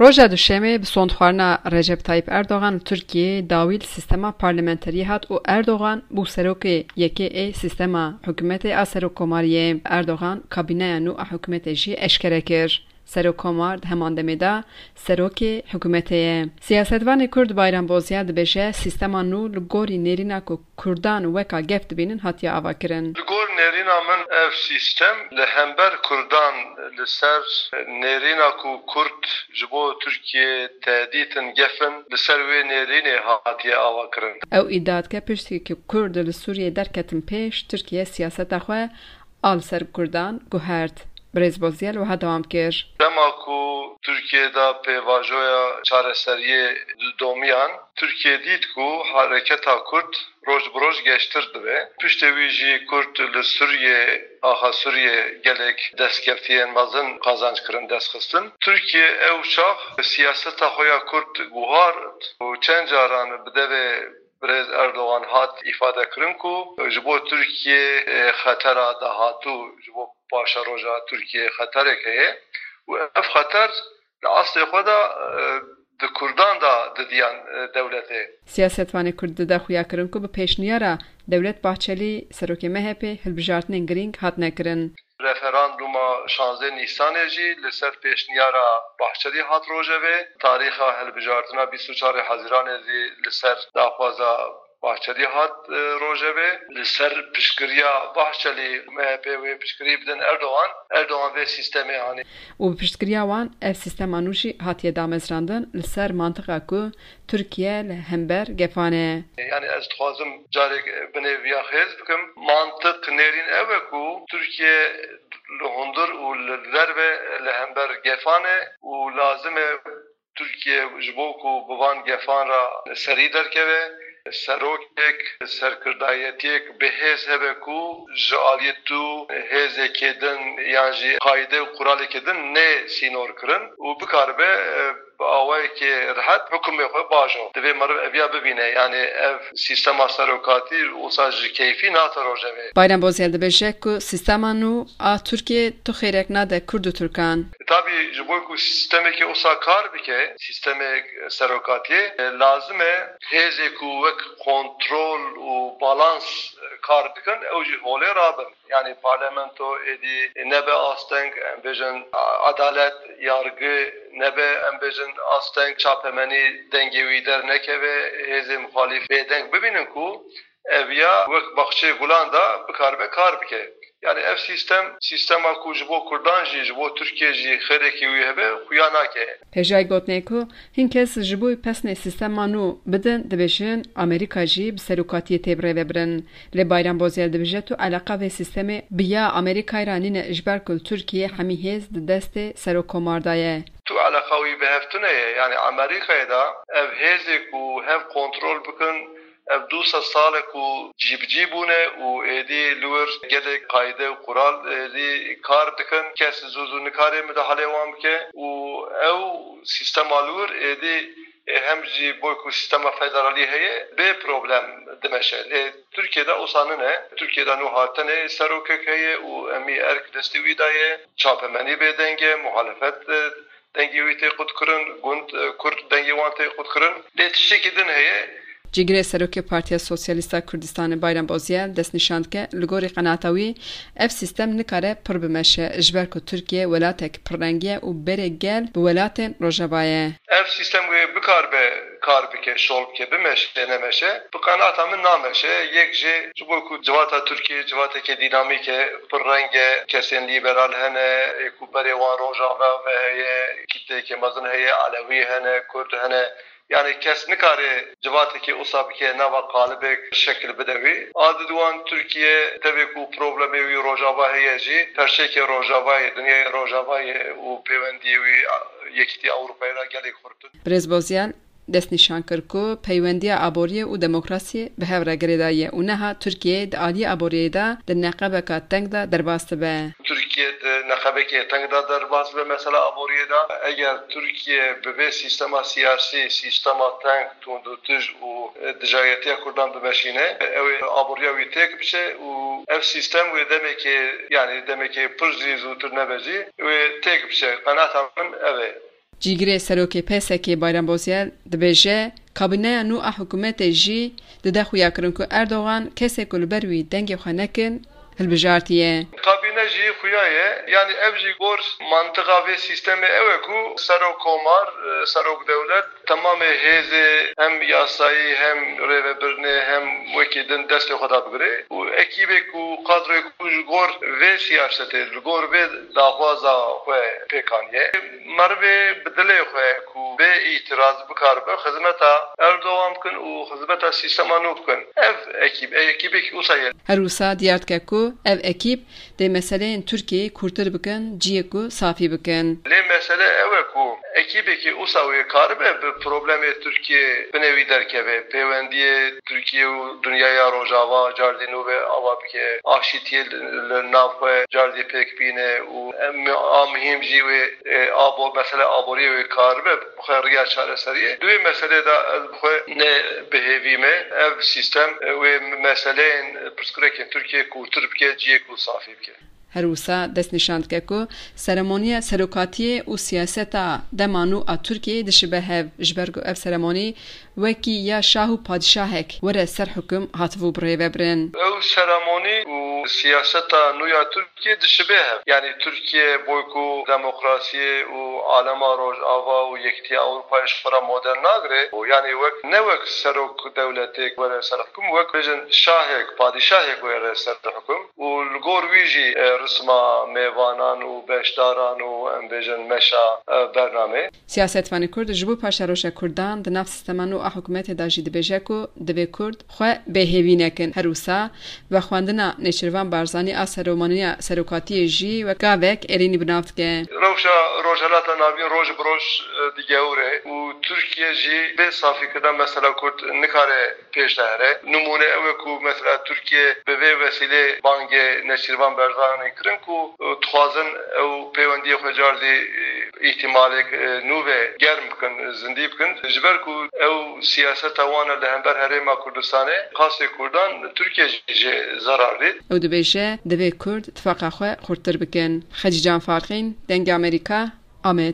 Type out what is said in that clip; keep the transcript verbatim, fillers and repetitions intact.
Roja Duşemê bi sondxwarina Recep Tayyip Erdogan li Tirkiyeyê dawî li sîstema parlamenteriyê hat û Erdogan bû serokê yekê ê sîstema hikûmetê a serokkomariyê. Erdogan kabîneya nû a hikûmetê jî eşkere kir. Serokkomar di heman demê de serokê hikûmetê ye. Siyasetvanê Kurd Bayram Bozyel dibêje, sîstema nû li gorî nêrîna ku Kurdan weka gef dibînin hatiye avakirin. Li gor nêrîna min ev sîstem li hember Kurdan, li ser nêrîna ku Kurd ji bo Tirkiye tehdît in, gef in, li ser wê nêrînê hatiye avakirin. Ew îdia dike, piştî ku Kurd li Sûriyê derketin pêş, Tirkiye siyaseta xwe a li ser Kurdan guhert. Birêz Bozyel wiha dewam kir. Dema ku Tirkiye de pêvajoya çareseriyê domiyan, Tirkiye dît ku hareketa Kurd roj bi roj geştir dibe. Piştê wî jî Kurd li Sûriyê, axa Sûriyê gelek destkeftiyên mezin qazanc kirin, dest xistin. Tirkiye ew çax siyaseta xwe ya Kurd guhart û çend caran bi devê Birêz Erdogan hat îfade kirin ku ji bo Tirkiye, e, xetera dahatû, ji bo paşeroja Tirkiye xeterek heye û ev xeter li eslê xwe de, e, di Kurdan de didiyan, e, dewletê. Siyasetvanê Kurd dide xuya kirin ku bi pêşniyara Dewlet Bahçelî, serokê M H P, hilbijartinên girîng hatine kirin. Referanduma şazdeh Nîsanê jî li ser pêşniyara Bahçelî hat rojevê. Tarîxa hilbijartina bîst û çarê Hezîranê jî li ser daxwaza Bahçelî hat, e, rojevê. Li ser piştgiriya Bahçelî, M H P wê piştgirî bidin Erdogan. Erdogan vê sîstemê anî. Û bi piştgiriya wan ev sîstema nû jî hatiye damezrandin li ser mantiqa ku Tirkiye li hember gefan e. Yani ez dixwazim carek binê viya xêz bikim. Mantiq nêrîn ew e ku Tirkiye li hundir û li derve li hember gefan e û lazim e Tirkiye ji bo ku bi van gefan re serî derkeve, serokek, serkirdayetiyek bi hêz hebe ku ji aliyê tu hêzekê din yan jî qayde û quralekê din nê sînor kirin û bikaribe, e, bi awayekî rehet hukmê xwe bajo. Divê meriv eviya bibîne. Yani ev sîstema serokatî wisa ji keyfî nate rojevê. Bayram Bozyel dibêje ku sîstema nû a Tirkiyê tu xêrek nade Kurd û Tirkan. Tabî ji bo ku sîstemekî wisa kar bike, sîstemek serokatiyê, e, lazim e hêzê ku wek kontrol û balans, e, kar dikin, ew jî holê rabin. Yani parlamento êdî nebe asteng, em bêjin, a-, adalet, yargı nebe, em bêjin, asteng, çapemenî dengê wî dernekeve, hêzên muxalîf bêdeng bibînin ku ev ya wek baxçeyê gulan de bikaribe kar bike. Yani ev sîstem, sîstema ku ji bo Kurdan jî, ji bo Tirkiye jî xêrekî wî hebe, xuya nake. Hêjayî gotinê ku hin kes ji bo pesnê sîstema nû bidin, dibêjin Amerîka jî bi serokatiyê tê birêvebirin. Lê Bayram Bozyel dibêje, tu eleqa vê sîstemê bi ya Amerîkayê re nîne, ji ber ku li Tirkiyê hemî hêz di destê serokkomar de ye. Tu eleqa wî bi hev tune ye. Yani Amerîkayê de ev hêzê ku hev kontrol bikin, ev du sed sal e ku cîbicî bûne û êdî li wir gelek qayde û qural êdî kar dikin. Kes zû zû nikare midahalê wan bike û ew sîstema li wir êdî, e, hem jî bo ku sîstema federalî heye, bê problem dimeşe. Lê Tirkiye de wisa nine. Tirkiye de nû hatine serokek heye û hemî erk destê wî de ye. Çapemenî bê deng e, muhalefet, e, dengê wî tê qutkirin, gund, e, Kurd dengê wan tê qutkirin. Lê tiştekî din heye. Cîgirê Serokê Partiya Sosyalîst a Kurdistanê Bayram Bozyel destnîşan dike, li gorî qenaeta wî ev sîstem nikare pir bimeşe, ji ber ku Tirkiye welatek pirrengî ye û berê gel bi welatên Rojava ye. Ev sîstem wê bikaribe kar bike, şol bike, bimeşe, nemeşe, bi qenaeta min nameşe. Yek jê ji bo ku civata Tirkiye civateke dînamîk e, pirreng e, kesên lîberal hene, ê ku berê wan Rojava ve heye, kîtleyeke mezin heye, Elewî hene, Kurd hene. Yani kes nikare civatekê wisa bike nava qalibek şekil bide wî. A di wan Tirkiye tevê ku problemê wî Rojava heye jî, perçeyeke Rojava ye, dinyayê Rojava ye û pêwendiyê wî Yekîtiya Ewropayê re gelek xurt in. Birêz Bozyel destnîşan kir ku peywendiya aboriyê û demokrasiyê bi hev re girêdayî ye û niha Tirkiye di aliyê aboriyê de di neqebeka teng de derbas dibe. Tirkiye di neqebekê teng de derbas dibe mesela aboriyê de. Eger Tirkiye bi vê sîstema siyasî, sîstema teng, tundûtij û, e, dijayetiya Kurdan bimeşîne, ew ê aboriya wî têk biçe û ev sîstem wê demekê, yani demekê pir jî zûtir nebe jî, wê têk biçe. Qenaeta min ev e. Cîgirê serokê P S K'ê Bayram Bozyel dibêje, kabîneya nû a hikûmetê jî dide xuya kirin ku Erdogan kesê ku li ber wî dengê xwe nekin, hilbijartiye. Kabîne jî xuya ye. Yanî ev jî gor mantiqa vê sîstemê ew e ku serok komar, e, serok dewlet, temamê hêzê hem yasayî hem rêvebirinê hem wekî din destê xwe da bigire û ekîbê ku kadroyê ku ji gor vê siyasetê, li gor vê daxwaza xwe pêk aniye, merivê bi dilê xwe ku bê îtiraz bikaribe xizmeta Erdogan bikin û xizmeta sîstema nû bikin. Ev ekîb, ekîbekî wisa ye. Her wisa diyar dike ku ev ekîb dê meseleyên Tirkiyeyê kûrtir bikin, cihê ku safî bikin. Lê mesele ew e ku ekîbekî wisa wê karibe bi problemê Tirkiyê binê wî derkeve, peywendiyê Tirkiye û dinyaya Rojava cardî nû ve ava bike, aşîtiyê li, li nav xwe cardî pêk bîne û em a muhîm jî wê, e, abo-, mesele aboriyê wê karibe bi xwe riya çareseriyê. Di wê meselê de ez bi xwe ne bi hêvî me. Ev sîstem, e, wê meseleyên pirsgirêkên Tirkiye kûrtir bike, cihê ku safî bike. Her wisa destnîşan dike ku seremoniya serokatiyê û siyaseta dema nû a Tirkiyeyê dişibe hev, ji ber ku ev seremonî wekî ya şah û padîşahek were ser hukum hatibû birêvebirin. Ew seremonî û siyaseta nû ya Tirkiyê dişibe hev. Yanî Tirkiye boy ku demokrasiyê û alema Rojava û Yekîtiya Ewropayê ji xwe re model nagire û yanî wek, ne wek serok dewletêk were ser hukum, wek bêjin şahek, padîşahek were ser hukum. Û li gor wî jî, e, risma mêvanan û beşdaran û, em bêjin, meşa, e, bernameyê. Siyasetvanê Kurd ji bo paşeroja Kurdan di nav sîstema nû a hikûmetê de jî dibêje ku divê Kurd xwe bêhêvî nekin. Her wisa vexwendina Nêçîrvan Barzanî a seremoniya serokatiyê jî wek gavek erênî bi nav dike. Rewşa Rojhelata Navîn roj bi roj, e, digewre û Tirkiye jî bê safîkirina mesela Kurd nikare pêş de here. Nimûne ew e ku mesela Tirkiye bi vê wesîlê bangê Nêçîrvan Barzanî kirin ku, e, dixwazin ew peywendiyê xwe cardî, e, îhtimalek, e, nû ve germ bikin, zindî bikin. Ji ber ku ew siyaseta wan e li hember Herêma Kurdistanê, qasê Kurdan Tirkiye jî jê zerar dît. Ew dibêje, divê Kurd tifaqa xwe xurttir bikin. Xecîcan Farqîn, Dengê Amerîka, Amed.